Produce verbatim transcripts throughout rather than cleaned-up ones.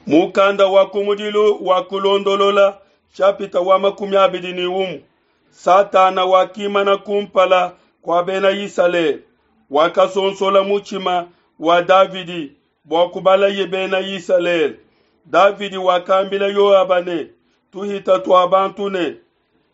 Mukanda wa kumudilu wa kulondolola shapita wa makumi abidi ne umue Satana wakimana kumpala kua bena Isalele, wakasonsola mutshima wa Davidi bua kubalaye bena Isalele. Davidi wakambila Yoaba ne tuhita tua bantu ne,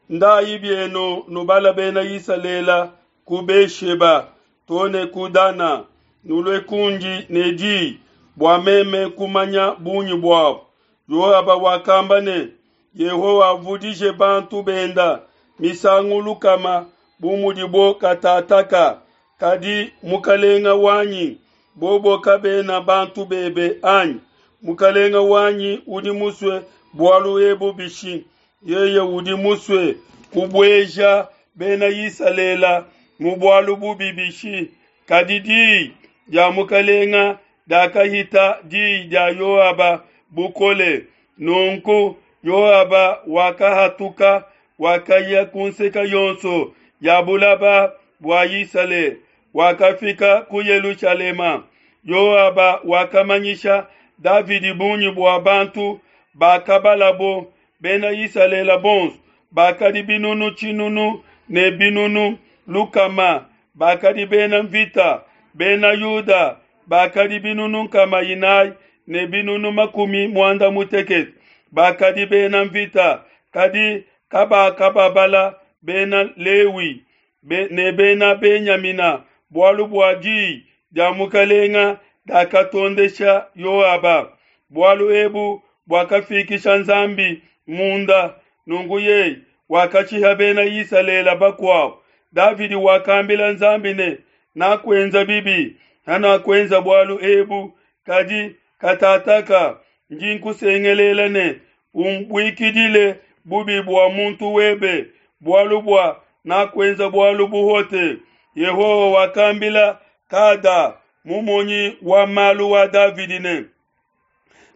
Ndayi bienu nubala bena Isalele ku Be-sheba to ne ku Dana, nulue kundi ne di bua meme kumanya bungi buabo. Yoaba wakamba ne, Yehowa avudije bantu benda misangu lukama bu mudibo katataka, kadi mukalenga wanyi, bobo kabena bantu bebe anyi? Mukalenga wanyi udi musue bualu ebu bishi? Yeye udi musue kubueja bena Isalele mu bualu bubi bishi? Kadi diyi dia mukalenga diakahita diyi dia Yoaba bukole. Nunku Yoaba wakahatuka, wakaya ku nseke yonso ya bulaba bua Isalele, wakafika ku Yelushalema. Yoaba wakamanyisha Davidi bungi bua bantu bakabalabo bena Isalele bonso bakadi binunu tshinunu ne binunu lukama bakadi bena mvita, bena Yuda bakadi binunu nkama inayi ne binunu makumi muanda mutekete bakadi bena mvita, kadi kabakababala bena Lewi be, ne bena Benyamina, bualu bua diyi dia mukalenga diakatondesha Yoaba. Bualu ebu buakafikisha Nzambi munda, nunku yeye wakashiha bena Isalele bakuabo. Davidi wakambila Nzambi ne, Nakuenza bibi, hanakuenza bualu ebu, kadi katataka ndi nkusengelela ne, Umbuikidile bubi bua muntu webe, bualu bua nakuenza bualu buhote. Yehowa wakambila Gada mumonyi wa malu wa Davidi ne,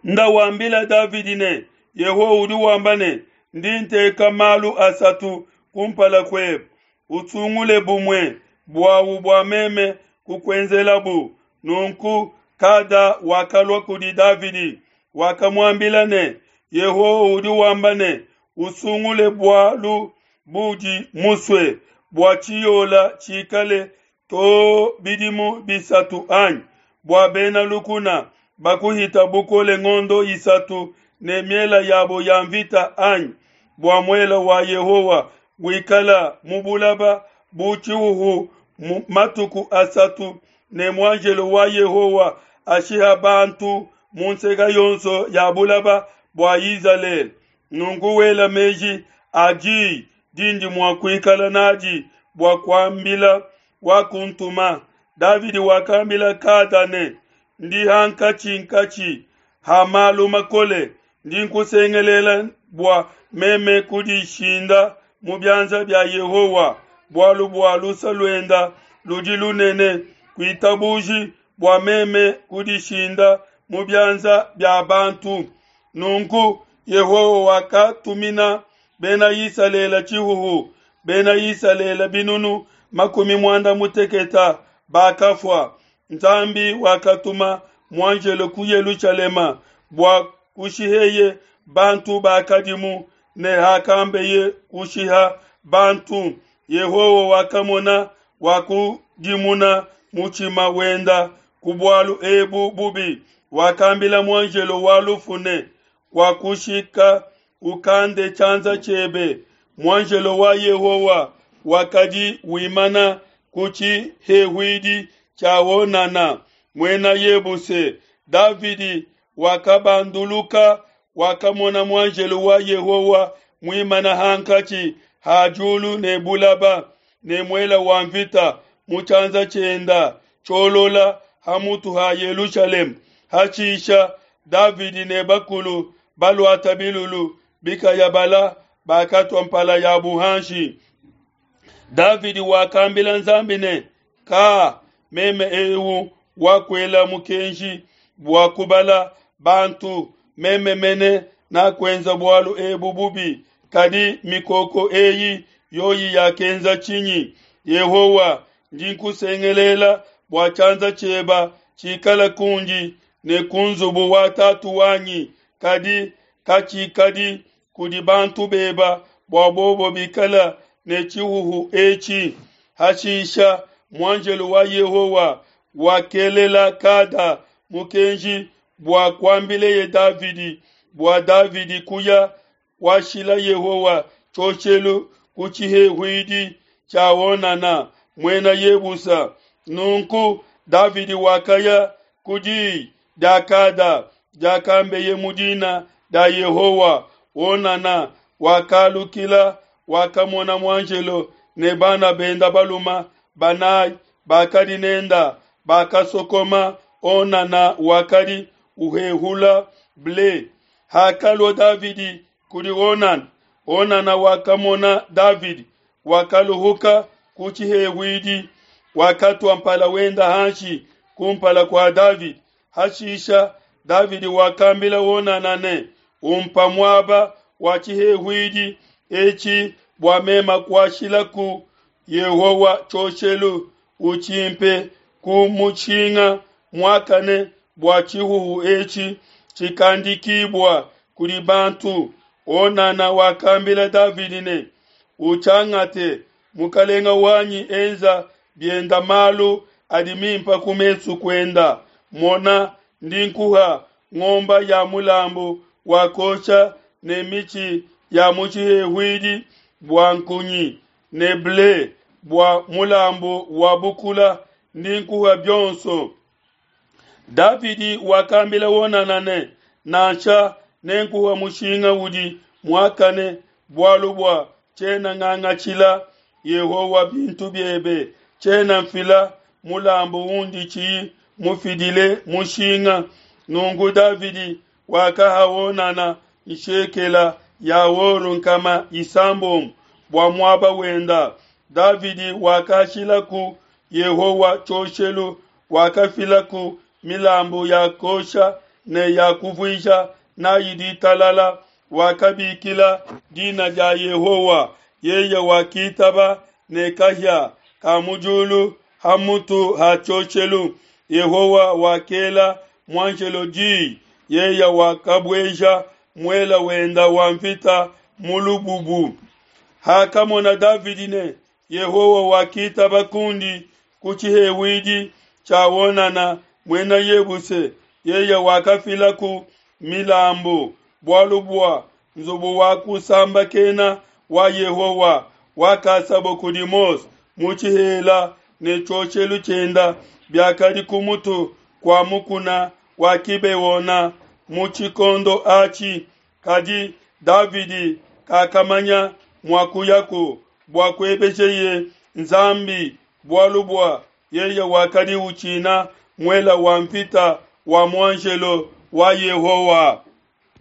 Nda wambila Davidi ne, Yehowa udi wamba ne, Ndi nteka malu asatu kumpala kuebe, usungule bumue buawu bua meme kukuenzelabu. Nunku Gada wakalua kudi Davidi, wakamuambila ne, Yehowa udi wamba ne, Usungule bualu budi musue, bua tshiyola tshikale to bidimu bisatu anyi bua bena lukuna bakuhita bukole ngondo isatu ne miela yabo ya mvita anyi bua muela wa Yehowa wikala mu bulaba bu tshihuhu matuku asatu ne muanjelo wa Yehowa ashiha bantu mu nseke yonso ya bulaba bua Izalele. Nunku wela meji a diyi dindi mua kuikala nadi bua kuambila wakuntuma. Davidi wakambila Gada ne, Ndi hankatshi-nkatshi ha malu makole, ndi nkusengelela bua meme kudishinda mu bianza bia Yehowa, bualu bua luse luenda ludi lunene, kuitabuji bua meme kudishinda mu bianza bia bantu. Nunku Yehowa wakatumina bena Isalele tshihuhu, bena Isalele binunu makumi muanda mutekete bakafua. Nzambi wakatuma muanjelo ku Yelushalema bua kushiheye bantu bakadimu, ne hakambeye kushiha bantu, Yehowa wakamona, wakudimuna mutshima wenda ku bualu ebu bubi, wakambila muanjelo wa lufu ne, Kuakushika, ukande tshianza tshiebe. Muanjelo wa Yehowa wakadi wimana ku tshihehuidi tshia Ônana, muena Yebuse. Davidi wakabanduluka, wakamona muanjelo wa Yehowa muimana hankatshi ha diulu ne bulaba, ne muela wa mvita mu tshianza tshienda tshiolola ha mutu ha Yelushalema. Hashisha Davidi ne bakulu baluata bilulu bikayabala bakatua mpala yabu hanshi. Davidi wakambila Nzambi ne, Ka, meme eu wakuela mukenji bua kubala bantu, meme mene nakuenza bualu ebu bubi, kadi mikoko eyi yoyi yakenza tshinyi? Yehowa, ndi nkusengelela bua tshianza tshieba tshikala kundi ne ku nzubu wa tatu wanyi kadi katshikadi kudi bantu beba bua bobo bikala ne tshihuhu etshi. Hashisha muanjelo wa Yehowa wakelela Gada mukenji bua kuambileye Davidi bua Davidi kuya kuashila Yehowa tshioshelu ku tshihehuidi tshia Ônana, Muena Yebusa. Nunku Davidi wakaya ku diyi dia Gada diakambeye mu dina dia Yehowa. Ônana wakalukila, wakamona muanjelo ne bana benda baluma banayi bakadi nenda bakasokoma. Ônana wakadi uhehula ble. Hakalua Davidi kudi Ônana, Ônana wakamona Davidi, wakaluhuka ku tshihehuidi, wakatua mpala wenda hanshi kumpala kua Davidi. Hashisha Davidi wakambila Ônana ne, Umpa muaba wa tshihehuidi etshi bua meme kuashilaku Yehowa tshioshelu, utshimpe ku mushinga muakane bua tshihuhu etshi tshikandikibua kudi bantu. Ônana wakambila Davidi ne, Utshiangate, mukelenge wanyi enza bienda malu adi mimpe ku mesu kuenda. Mona, ndi nkuha ngomba ya mulambu wa kuosha ne mitshi ya mu tshihehuidi bua nkunyi ne ble bua mulambu wa bukula, ndi nkuha bionso. Davidi wakambila Ônana ne, Nansha, nenkuha mushinga udi muakane, bualu bua tshiena ngangatshila Yehowa bintu biebe, tshiena nfila mulambu undi tshiyi mufidile mushinga. Nunku Davidi wakaha Ônana nshekela ya or nkama isambombo bua muaba wenda. Davidi wakashilaku Yehowa tshioshelu, wakafilaku milambu ya kuosha ne ya kuvuisha n'ai ditalala, wakabikila dina dia Yehowa. Yeye wakitaba ne kahia ka mu diulu ha mutu ha tshioshelu. Yehowa wakela muanjelo di, yeye wakabueja muela wenda wa nvita mu lububu. Hakamona Davidi ne, Yehowa wakitaba kundi ku tshihehuidi tshia Ônana, Muena Yebuse, yeye wakafilaku milambu bualu bua nzubu wa kusambakena wa Yehowa wakasabo kudi Mose mu tshihela ne tshioshelu tshienda biakadi ku mutu kua mukuna wa Gibeona mu tshikondo atshi. Kadi Davidi kakamanya mua kuyaku bua kuebejeye Nzambi, bualu bua yeye wakadi utshina muela wa nvita wa muanjelo wa Yehowa.